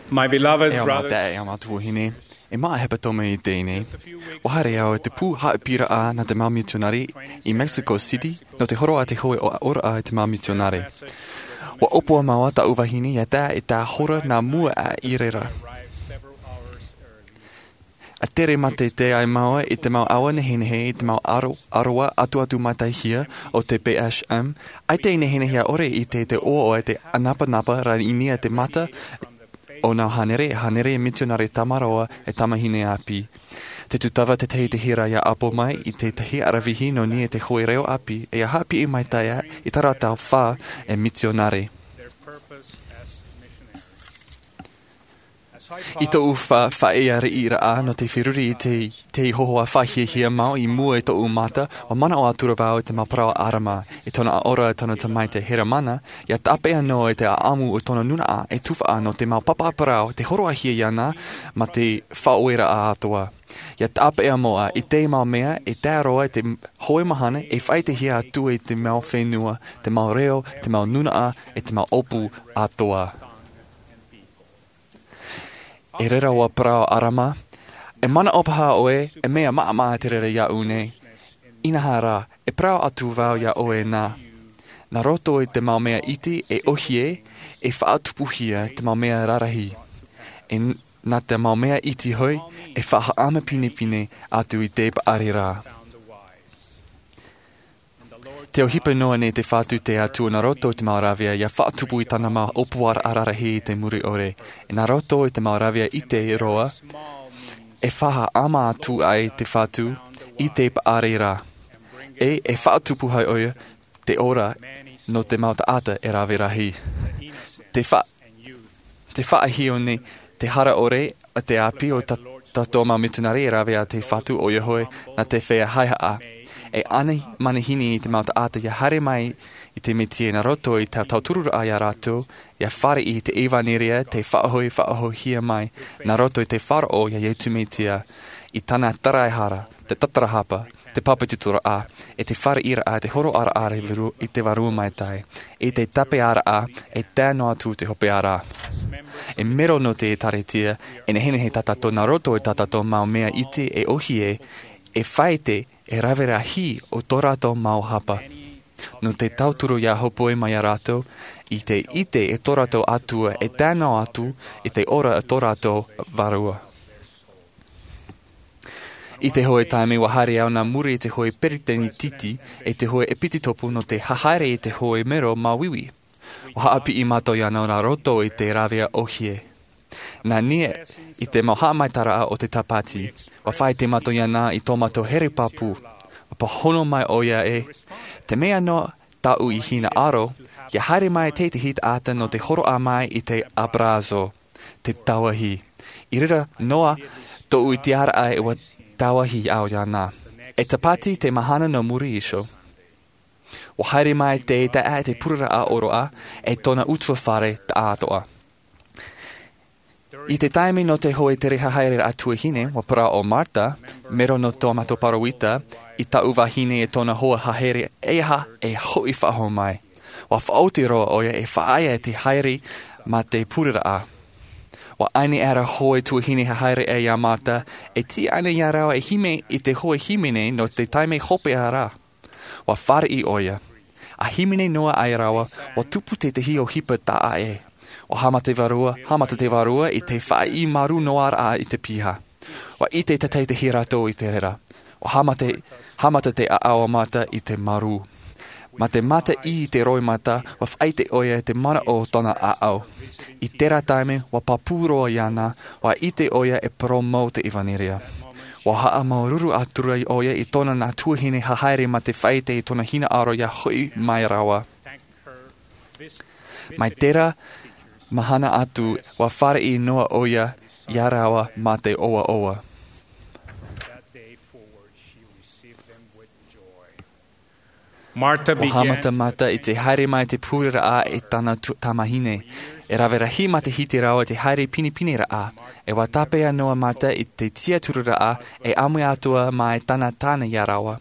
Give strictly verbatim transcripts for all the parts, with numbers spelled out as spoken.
E au mau taeaʻe, e au mau tuahine, e maʻa hepetoma i teie nei. Ua haere au i te pū haʻapiʻiraʻa nā te mau mitionare i Mexico City nō te horo a te hoe ʻoaʻoraʻa i te mau mitionare. Ua ʻōpua mau taʻu vahine ia tae i te hora nā mua aʻe i reira. A tere mātete ai māua i te mau aʻo nehenehe i te mau aro ʻaroa atuatu mātaʻihia o te phm. ʻAita i nehenehe ʻore i te te ʻoaʻoa i te ʻanapanapa rā i nia te mata o nā hānere e hānere mitionare tamaroa e tamahine ʻāpī. Te tūtava tētahi te hira ia ʻapo mai i tētahi aravihi nō nia te hoe reo ʻāpī e ia haʻapiʻi mai taea i tārā tau fā e mitionare. I tōʻu faʻaʻeaʻearaʻa nō te feruri i te hohoʻa faʻahiahia mau i mua i tōʻu mata, ua manaʻo atu rā vau i te mau parau a ʻarama i tōna ʻaʻora i tōna tamaiti heramana ia tāpeʻa noa i te ʻaʻamu o tōna nunaʻa e tufaʻa nō te mau papa parau te horoʻahia iāna mā te faʻaoreraʻa atoa. Ia tāpeʻa moʻa i te mau mea e tae roa i te hoe mahana e faʻaitehia atu i te mau fenua, te mau reo, te mau nunaʻa, e te mau ʻōpū atoa. E reira ua parau ʻarama, e manaʻo paha ʻoe e mea maʻamaʻa te reira iaʻu nei? Inaha rā, e parau atu vau ia ʻoe nā nā roto i te mau mea iti e ʻohie e faʻatupuhia te mau mea rarahi, e nā te mau mea iti hoʻi e faʻahaʻamapinepine atu i te paʻari rā. Te ʻohipa noa nei te fatu te atua nā roto i te mau rāvea ia faʻatupu i tāna mau ʻōpuaraʻa rarahi i te muri ʻore, e nā roto i te mau rāvea iti roa e faʻahaʻama atu ai te fatu i te paʻari rā, e e faʻatupu ai ʻoia te ora nō te mau taʻata e rave rahi. Te faʻahiahia nei te hara ʻore a te ʻāpī o tātou mau mitionare e rave a te fatu ʻoia hoʻi nā te feiā haehaʻa e ʻanai manihini i te mau taʻata ia haere mai i te mesia nā roto i te tautururaʻa ia rātou ia fāriʻi i te ʻevanelia te faʻahoʻi faʻahoʻihia mai nā roto i te faʻaroʻo ia iesu mesia, i tāna taraehara, te tatarahapa, te papetitoraʻa, e te fāriʻiraʻa te horoʻaraʻa i te vārua maitai, i te tāpeʻaraʻa e tae noa atu te hopeʻa rā. E mero nō te ʻēkālesia e nehenehe tā tātou nā roto i tā tātou mau mea iti e ʻohie e faʻaite e rave rahi o tō rātou mau hapa nō te tauturu ia hōpoi mai ia rātou i te ʻite e tō rātou atua e tae noa atu i te ora o tō rātou vārua. I te hoe taime ua haere au nā muri i te hoe peretiteni titi e te hoe ʻepisekopo nō te hahaere i te hoe mero māuiui. Ua haʻapiʻi mātou iāna nā roto i te rāvea ʻohie. Nā nia i te mau haʻamaitaʻiraʻa o te tāpati ua faʻaite mātou iāna i tō mātou here pāpū. Ua pāhono mai ʻoia e te mea noa tāʻu i hinaʻaro ia haere mai tētahi taʻata nō te horoʻa mai i te abrazo, te tauahi. I reira noa tōʻu tiʻaraʻa e ua tauahi au iāna. E tāpati te mahana nō muri iho ua haere mai te taʻata i te pureraʻa ʻōroʻa e tōna utuafare taʻatoʻa. I te taime nō te hoe tere hahaere raʻa tuahine ua parau ʻo marta, mero nō tō mātou pāroita, i tāʻu vahine e tōna hoa haere e aha e hoʻi faʻahou mai. Ua faʻaoti roa ʻoia e faʻaea i te haere mā te pureraʻa. Ua ʻaini ʻera hoe tuahine hahaere ʻe ia marta e tiʻa ana ia rāua e hīmene i te hoe hīmene nō te taime hopeʻa rā. Ua fāriʻi ʻoia. A hīmene noa ai rāua ua tupu tētahi ʻohipa taʻa ʻē. Ua haʻamata te vārua haʻamata te vārua i te faʻaʻī marū noa raʻa i te piha. Ua ʻite tētahi rātou i te reira. Ua haʻamata haʻamata te ʻaʻau a marta i te marū. Mā te mata i te roimata ua faʻaʻite ʻoia i te manaʻo o tōna ʻaʻau. I terā taime ua pāpū roa iāna. Ua ʻite ʻoia e parau mau te ʻevanelia. Ua haʻamāuruuru atu rā ʻoia i tōna nā tuahine hahaere mā te faʻaʻite i tōna hinaʻaro ia hoʻi mai rāua. Mai terā mahana atu ua fāriʻi noa ʻoia ia rāua mā te ʻoaʻoa. Ua haʻamata marta i te haere mai te pureraʻa i tāna tamahine. E rave rahi mā te hiti rāua i te haere pinepineraʻa. E ua tāpeʻa noa marta i te tiʻaturaraʻa e ʻāmui atu mai tāna tāne ia rāua.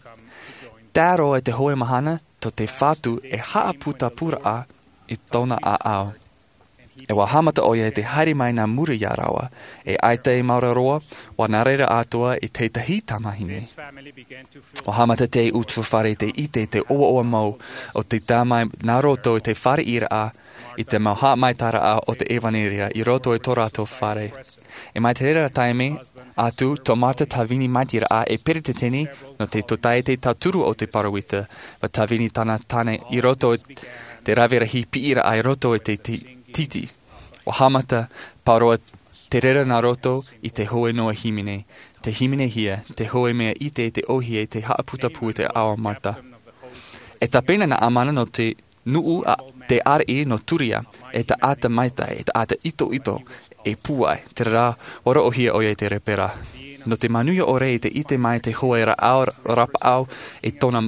Tae roa i te hoe mahana tō te fatu e haʻaputapuraʻa i tōna ʻaʻau. E ua haʻamata ʻoia i te haere mai nā muri iā rāua, e ʻaita i maoro roa, ua nā reira atoʻa i tētahi tamahine. Ua haʻamata te utuafare i te ʻite i te ʻoaʻoa mau o te tae mai nā roto i te fāriʻiraʻa, i te mau haʻamaitaʻiraʻa o te ʻevanelia i roto i tō rātou fare. E mai te reira taime atu, tō Martha Tavini Maitairaʻa e peretiteni nō te Tōtaiete Tauturu o te Pāroita, ua Tavini tāna tāne i roto i te rave rahi piʻiraʻa i roto i te ti-, titi. Ua haʻamata pauroa te reira nā roto i te hoʻi noa hīmene, te hīmenehia, te hoʻi mea ʻite i te ʻōhie, te haʻaputapū i te ao a Martha. E tāpena Naamana nō te nuʻu a te ariʻi nō Turia, e taʻata maitaʻi, e taʻata itoito, e pūai, terā, ua roʻohia ʻoia i te lepera. Nō te manuia ʻore i te ʻite mai te hoʻi rāʻau rapaʻau i tōna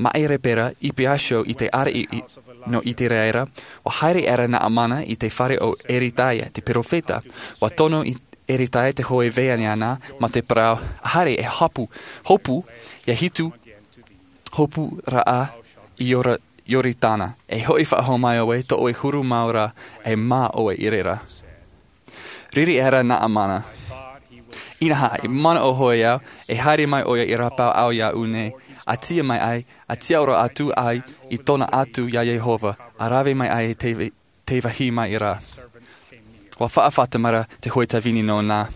maʻi lepera, i Piaso i te ariʻi i, nō Iteraera, ua haere aʻera Naamana i te fare o Eritaia, te perofeta, ua tono i Eritaia te hoʻi vai ʻana, mā te parau, haere e hapu, hopu, ia hitu, hopu raʻa i Iora-, Ioritana, e hoʻi faʻahou mai ʻoe, tō ʻoe huru mau ra, e mā ʻoe i reira. Riri aʻera Naamana. Inaha, i manaʻo hoʻi au, e haere mai ʻoia i rapaʻau iāʻu nei, a tia mai ai, a tiʻaoro atu ai i tōna atu iā Iehova, a rave mai ai te, te vāhi mai ra. Ua faʻafātata mai ra te hoʻi Tavini nōna.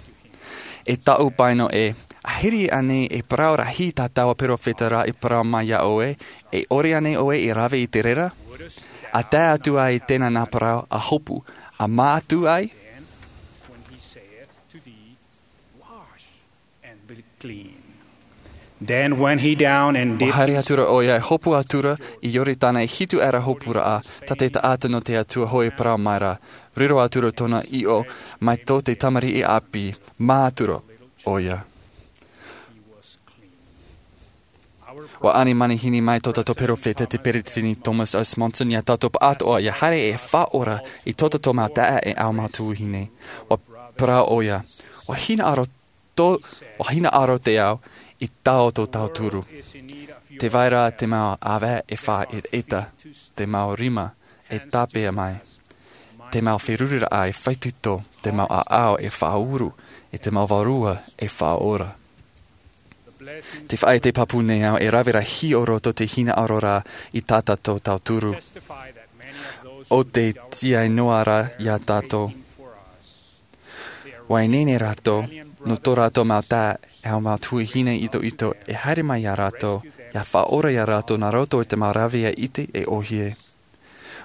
E taʻu paino ē, ahiri ānei e parau rahi tā taua perofeta ra i parau mai iā ʻoe, e ʻore ānei ʻoe i rave i te reira? A tae atu ai tēnā nā parau, a hopu, a mā atu ai? Then went he down and dipped. Ua haere atu ra ʻoia, e hopu atu ra i Ioritana, e hitu aʻera hopu raʻa, tā te taʻata nō te Atua hoʻi parau mai ra, riro atu ra tōna ʻiʻo mai tō te tamariʻi ʻāpī, mā atu ra ʻoia. Ua ani manihini mai tō tātou perofeta te peretiteni Thomas S. Monson iā tātou pāʻatoʻa ia haere e faʻaora i tō tātou mau taeaʻe e mau tuahine. Ua parau ʻoia, ua hinaʻaro tō, ua hinaʻaro te ao i taoto tauturu. Tē vai ra te mau ʻāvae e faʻaʻetaʻeta, te mau rima e tāpeʻa mai, te mau feruriraʻa e faʻaitoito, te mau ʻāʻau e faʻauru, e te mau vārua e faʻaora. Te faʻaʻite pāpū nei au, e rave rahi o roto te hinaʻaro ra i tā tātou tauturu. ʻO te tiaʻi noa ra iā tātou. Ua ineine rātou, nō tō rātou mau taeaʻe e mau tuahine itoito, e haere mai iā rātou, ia faʻaora iā rātou nā roto i te mau rave ʻite e ʻōhie.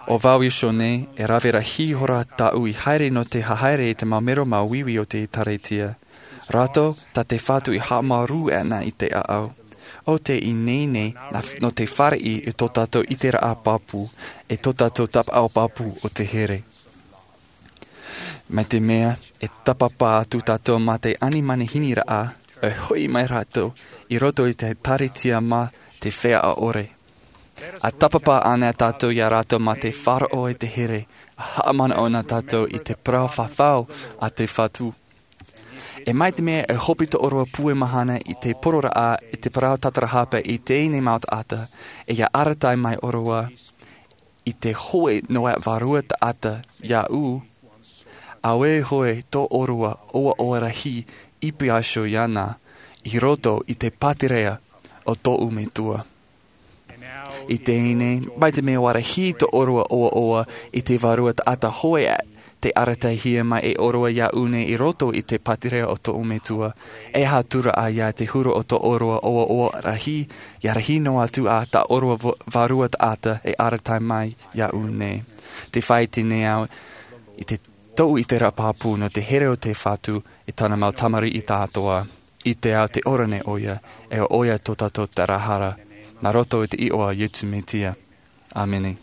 ʻO vau iho nei, e rave rahi ihora tāʻu i haere nō te haere i te mau mero māuiui o te ʻĒtārētia. Rātou, tā te Fatu i haʻamāuruuru ana i te ʻāʻau. ʻO te ineine nā, nō te fāriʻi i tō tātou ʻiteraʻa pāpū, e tō tātou tapaʻau pāpū o te here. Mai te mea, e tāpapa atu tātou mā te ani manihiniraʻa, e hoʻi mai rātou, i roto i te ʻĒtārētia mā te feiā ʻore. A tāpapa ana tātou iā rātou mā te faʻaroʻo i te here, a haʻamanaʻo na tātou i te parau fafau a te Fatu. E mai te mea e hope tō ʻōrua pūai mahana i te poroʻraʻa, i te parau tātarahapa i teie nei mau taʻata, e ia arataʻi mai ʻōrua i te hoʻi noa vārua taʻata iāʻu, auē hoʻi tō ʻōrua ʻoaʻoa rahi i Piaso iāna, i roto i te pātireia o tōʻu Metua. I teie nei, mai te mea ua rahi tō ʻōrua ʻoaʻoa i te vārua taʻata hoʻi ā, tē arataʻihia mai e ʻōrua iāʻu nei i roto i te pātireia o tōʻu Metua, e aha atu ra ia te huru o tō ʻōrua ʻoaʻoa rahi, ia rahi noa atu ā tā ʻōrua va-, vārua taʻata e arataʻi mai iāʻu nei. Tē faʻaʻite nei au i te, tōʻu ʻiteraʻa pāpū nō te here o te Fatu i tāna mau tamariʻi tāʻatoʻa. ʻIte au tē ora nei ʻoia, e ʻo ʻoia tō tātou tarahara, nā roto i te iʻoa o Iesu Mesia. ʻĀmene.